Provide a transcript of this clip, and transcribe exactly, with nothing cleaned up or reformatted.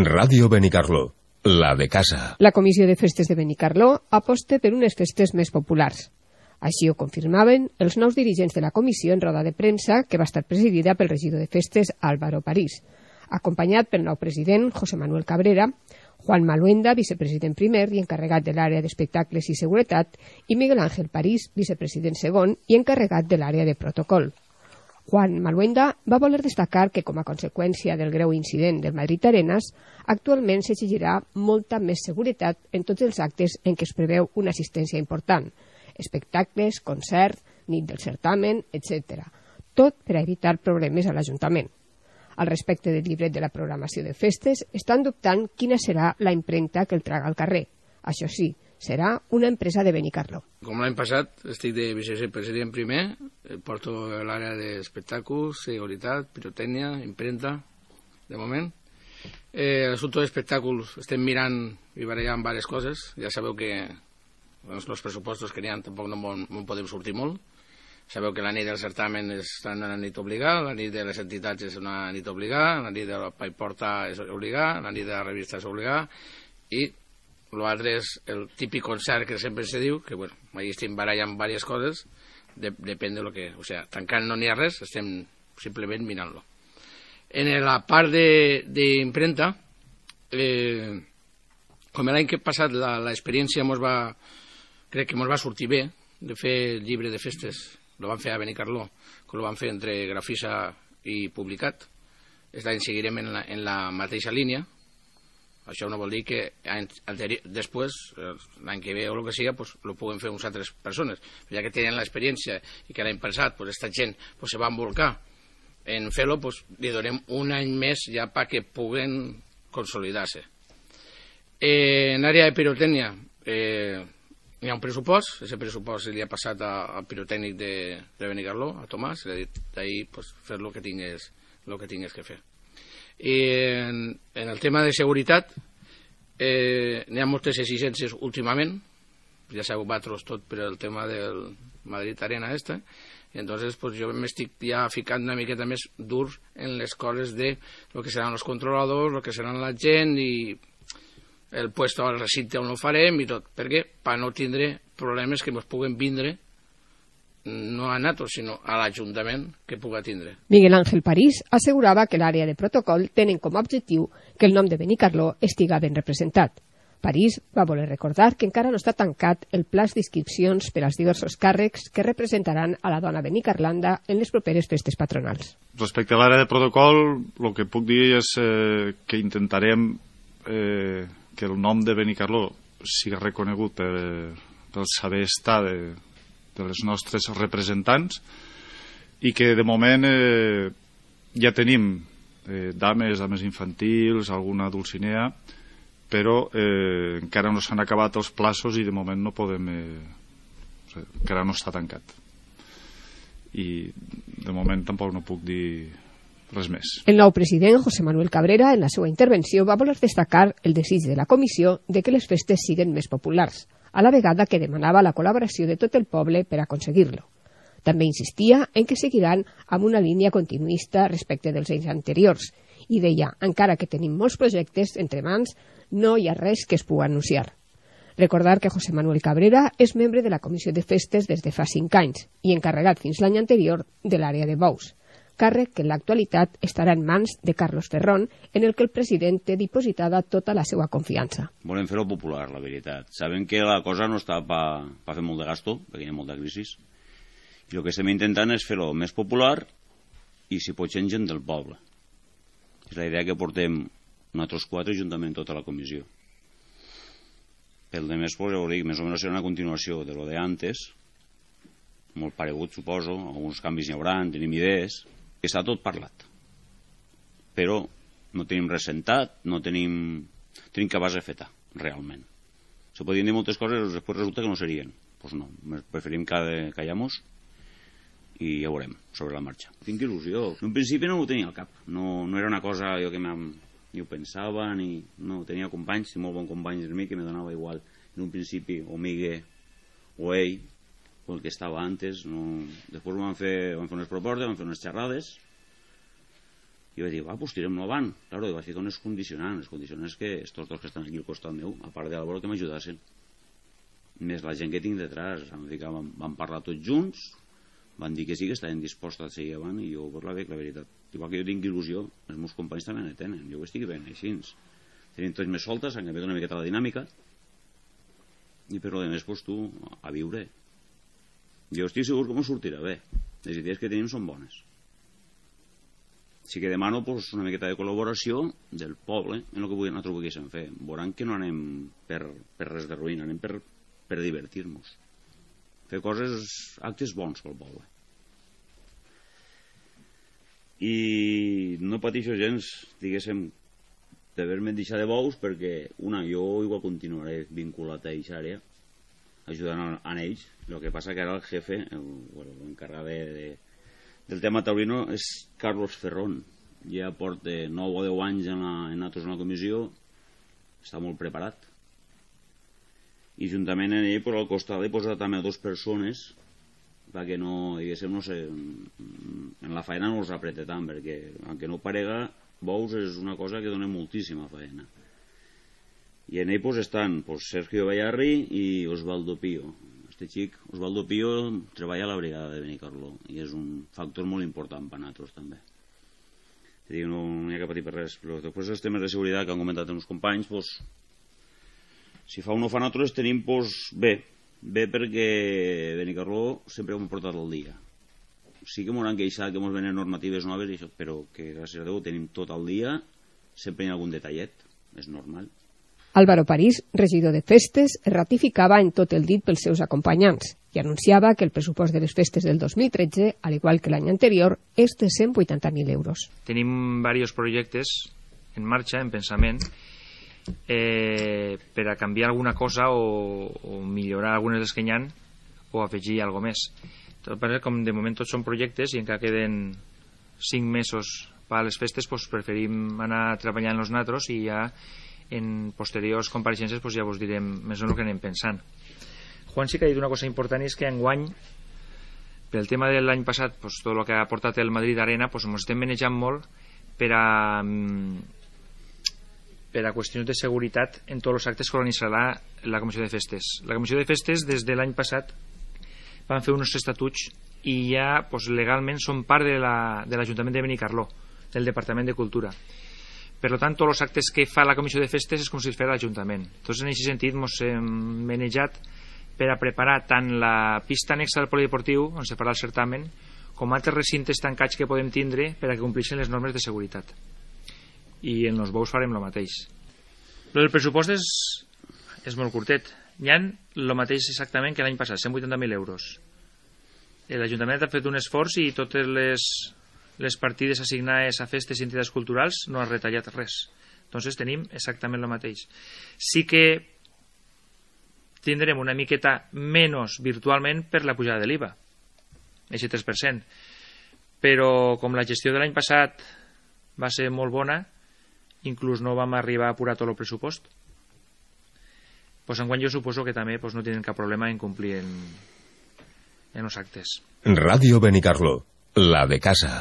Ràdio Benicarló, la de casa. La Comissió de Festes de Benicarló aposta per unes festes més populars. Així ho confirmaven els nous dirigents de la comissió en roda de premsa, que va estar presidida pel regidor de Festes Álvaro París, acompanyat pel nou president José Manuel Cabrera, Juan Maluenda, vicepresident primer i encarregat de l'àrea d'espectacles i seguretat, i Miguel Ángel París, vicepresident segon i encarregat de l'àrea de protocol. Juan Maluenda va voler destacar que, com a conseqüència del greu incident del Madrid Arenas, actualment s'exigirà molta més seguretat en tots els actes en què es preveu una assistència important, espectacles, concerts, nit del certamen, etcètera. Tot per a evitar problemes a l'Ajuntament. Al respecte del llibret de la programació de festes, estan dubtant quina serà la impremta que el traga al carrer. Això sí, serà una empresa de Benicarló. Com l'any passat, estic de vicepresident primer, porto l'àrea d'espectacles, seguretat, pirotècnia, impremta, de moment. Eh, L'assumpte d'espectacles estem mirant i barallant diverses coses. Ja sabeu que els pressupostos que n'hi ha tampoc no en podem sortir molt. Sabeu que la nit del certamen és una nit obligada, la nit de les entitats és una nit obligada, la nit de la Paiporta és obligada, la nit de la revista és obligada, i l'altre és el típic concert que sempre se diu, que bueno, ahí estem barallant diverses coses, de, depèn de lo que... O sea, tancant no n'hi ha res, estem simplement mirant-lo. En la part d'impremta, eh, com l'any que passat l'experiència mos va, crec que ens va sortir bé, de fer el llibre de festes, lo van fer a Benicarló, que lo van fer entre Grafisa i Publicat. Aquest any seguirem en la, en la mateixa línia. Això no vol dir que després, l'any que ve o el que sigui, pues, lo puguen fer uns altres persones. Però ja que tenen l'experiència i que l'any passat pues, aquesta gent pues, se va embolcar en fer-lo, pues, li donem un any més ja perquè puguen consolidar-se. Eh, en l'àrea de pirotècnia, eh, hi ha un pressupost, aquest pressupost li ha passat al pirotècnic de, de Benicarló, a Tomàs, li ha dit d'ahir pues, fer el que tingués, el que tingués que fer. I en, en el tema de seguretat, eh, n'hi ha moltes exigències últimament, ja sabeu vosaltres tot per el tema del Madrid Arena este, i entonces pues, jo m'estic ja ficant una miqueta més dur en les coses de lo que seran els controladors, lo que seran la gent i el puesto al recinte on ho farem i tot, perquè per no tindre problemes que ens puguen vindre no a nosaltres, sinó a l'Ajuntament que puga tindre. Miguel Ángel París assegurava que l'àrea de protocol tenen com a objectiu que el nom de Benicarló estiga ben representat. París va voler recordar que encara no està tancat el pla d'inscripcions per als diversos càrrecs que representaran a la dona benicarlanda en les properes festes patronals. Respecte a l'àrea de protocol, el que puc dir és eh, que intentarem eh, que el nom de Benicarló sigui reconegut per, pel saber estar de, de les nostres representants i que de moment eh, ja tenim eh, dames, dames infantils, alguna dulcinea, però eh, encara no s'han acabat els plaços i de moment no podem, eh, encara no està tancat. I de moment tampoc no puc dir res més. El nou president, José Manuel Cabrera, en la seva intervenció va voler destacar el desig de la comissió de que les festes siguin més populars, a la vegada que demanava la col·laboració de tot el poble per aconseguir-lo. També insistia en que seguiran amb una línia continuista respecte dels anys anteriors i deia, encara que tenim molts projectes entre mans, no hi ha res que es pugui anunciar. Recordar que José Manuel Cabrera és membre de la Comissió de Festes des de fa cinc anys i encarregat fins l'any anterior de l'àrea de bous, càrrec que en l'actualitat estarà en mans de Carlos Ferrón, en el que el president té dipositada tota la seva confiança. Volem fer-ho popular, la veritat. Sabem que la cosa no està per pa fer molt de gasto, perquè hi ha molta crisi, i el que estem intentant és fer-ho més popular i, si pot ser, gent del poble. És la idea que portem nosaltres quatre juntament tota la comissió. Pel de més, pues, ja ho dic, més o menys serà una continuació de lo de antes, molt paregut, suposo, alguns canvis n'hi haurà, tenim idees, que està tot parlat. Però no tenim res sentat, no tenim, tenim que base feta, realment. Se podien dir moltes coses, després resulta que no serien. Doncs pues no, preferim callar-nos i ja veurem, sobre la marxa. Tinc il·lusió. En principi no ho tenia al cap, no, no era una cosa jo que ni ho pensava, ni no, tenia companys, molt bons companys de mi, que me donava igual. En un principi, o Miguel o ell, o el que estava antes, no... després van fer, van fer unes propostes, van fer unes xerrades, I vaig dir, va, pues tirem-lo avant. Claro, i vaig ficar unes condicionants, les condicionants que estos dos que estan aquí al costat meu, a part de l'Álvaro, que m'ajudassin. Més la gent que tinc detrás, vam, ficar, vam, vam parlar tots junts, van dir que sí, que estaven disposats a seguir avant, i jo pues, la veig, la veritat. Igual que jo tinc il·lusió, els meus companys també ne tenen, jo ho estic veient així. Tenim tots més soltes, han canviat una miqueta la dinàmica, i per lo de més, pues, tu, a viure. Jo estic segur que m'ho sortirà bé. Les idees que tenim són bones. Sí que demano pues, una miqueta de col·laboració del poble en el que nosaltres volguéssim fer. Veuran que no anem per, per res de ruïna, anem per, per divertir-nos. Fer coses, actes bons pel poble. I no pateixo gens, diguéssim, d'haver-me deixat de bous, perquè, una, jo igual continuaré vinculat a aquesta àrea, ajudant a, a ells. El que passa que ara el jefe, l'encarregat de, de del tema taurino és Carlos Ferrón. Ja porta nou o deu anys en, la, en nosaltres en la comissió, està molt preparat. I juntament en ell, per al costat, he posat també dues persones perquè no, diguéssim, no sé, en la feina no els apreta tant, perquè, aunque no parega, bous és una cosa que dona moltíssima feina. I en ell pues, estan pues, Sergio Bayarri i Osvaldo Pío. Este xic, Osvaldo Pío, treballa a la brigada de Benicarló i és un factor molt important per a nosaltres també. Dir, no, no hi ha que patir per res, però després els temes de seguretat que han comentat els companys, pues, si fa un o fa nosaltres tenim pues, bé, bé perquè Benicarló sempre ho hem portat al dia. Sí que m'hauran queixat que ens venen normatives noves, i això, però que gràcies a Déu tenim tot el dia, sempre hi ha algun detallet, és normal. Álvaro París, regidor de festes, ratificava en tot el dit pels seus acompanyants i anunciava que el pressupost de les festes del dos mil tretze, al igual que l'any anterior, és de cent vuitanta mil euros. Tenim diversos projectes en marxa, en pensament, eh, per a canviar alguna cosa o, o millorar algunes dels que hi ha o afegir alguna més. Tot, com de moment tots són projectes i encara queden cinc mesos per a les festes, doncs preferim anar treballant els natros i ja en posteriors compareixences pues ja vos direm més o menys el que anem pensant. Juan sí que ha dit una cosa important, i és que enguany, pel tema de l'any passat, pues, tot el que ha portat el Madrid Arena, pues, ens estem manejant molt per a per a qüestions de seguretat en tots els actes que organitzarà la Comissió de Festes. La Comissió de Festes des de l'any passat van fer uns estatuts i ja pues, legalment són part de l'Ajuntament la, de Benicarló, del Departament de Cultura. Per tant, tots els actes que fa la Comissió de Festes és com si es fes l'Ajuntament. Entonces, en aquest sentit, ens hem manejat per a preparar tant la pista anexa del polideportiu, on se farà el certamen, com altres recintes tancats que podem tindre per a que complixin les normes de seguretat. I en els bous farem el mateix. El pressupost és, és molt curtet. Hi ha el mateix exactament que l'any passat, cent vuitanta mil euros. L'Ajuntament ha fet un esforç i totes les... les partides assignades a festes i entitats culturals no ha retallat res. Entonces tenim exactament el mateix. Sí que tindrem una miqueta menys virtualment per la pujada de l'I V A, aquest tres per cent. Però com la gestió de l'any passat va ser molt bona, inclús no vam arribar a apurar tot el pressupost, doncs enguany jo suposo que també doncs, no tenen cap problema en complir en, en els actes. Ràdio Benicarló, la de casa.